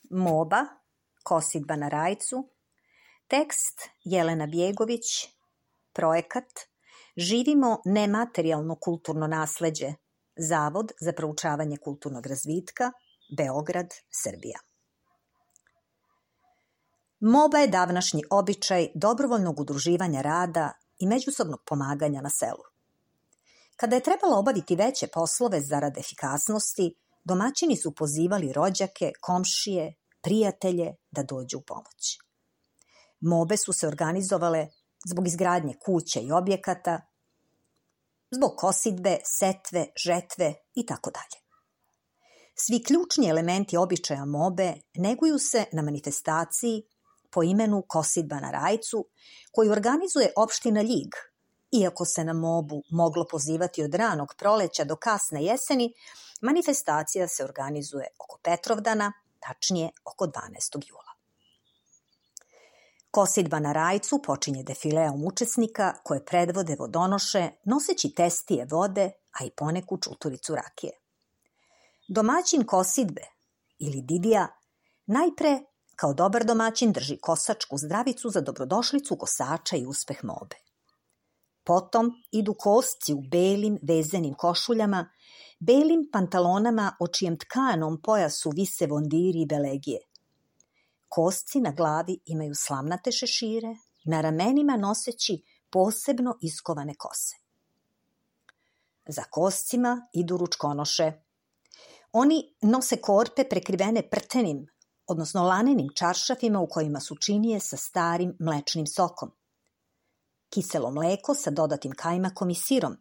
Moba, kosidba na rajcu, tekst Jelena Bjegović, projekat Živimo nematerijalno kulturno nasleđe, Zavod za proučavanje kulturnog razvitka, Beograd, Srbija. Moba je davnašnji običaj dobrovoljnog udruživanja rada i međusobnog pomaganja na selu. Kada je trebalo obaviti veće poslove zarad efikasnosti, domaćini su pozivali rođake, komšije, prijatelje da dođu u pomoć. Mobe su se organizovale zbog izgradnje kuća i objekata, zbog kosidbe, setve, žetve itd. Svi ključni elementi običaja mobe neguju se na manifestaciji po imenu Kosidba na rajcu, koju organizuje opština Ljig. Iako se na mobu moglo pozivati od ranog proleća do kasne jeseni, manifestacija se organizuje oko Petrovdana, tačnije oko 12. jula. Kosidba na rajcu počinje defileom učesnika koje predvode vodonoše noseći testije vode, a i poneku čuturicu rakije. Domaćin kosidbe ili didija najpre kao dobar domaćin drži kosačku zdravicu za dobrodošlicu kosača i uspeh mobe. Potom idu kosci u belim vezenim košuljama, belim pantalonama o čijem tkanom pojasu vise vondiri i belegije. Kosci na glavi imaju slamnate šešire, na ramenima noseći posebno iskovane kose. Za koscima idu ručkonoše. Oni nose korpe prekrivene prtenim, odnosno lanenim čaršafima u kojima su činije sa starim mlečnim sokom, kiselo mleko sa dodatim kajmakom i sirom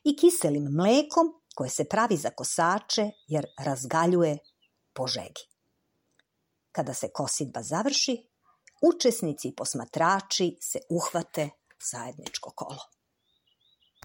i kiselim mlekom koje se pravi za kosače jer razgaljuje po žegi. Kada se kosidba završi, učesnici i posmatrači se uhvate zajedničko kolo.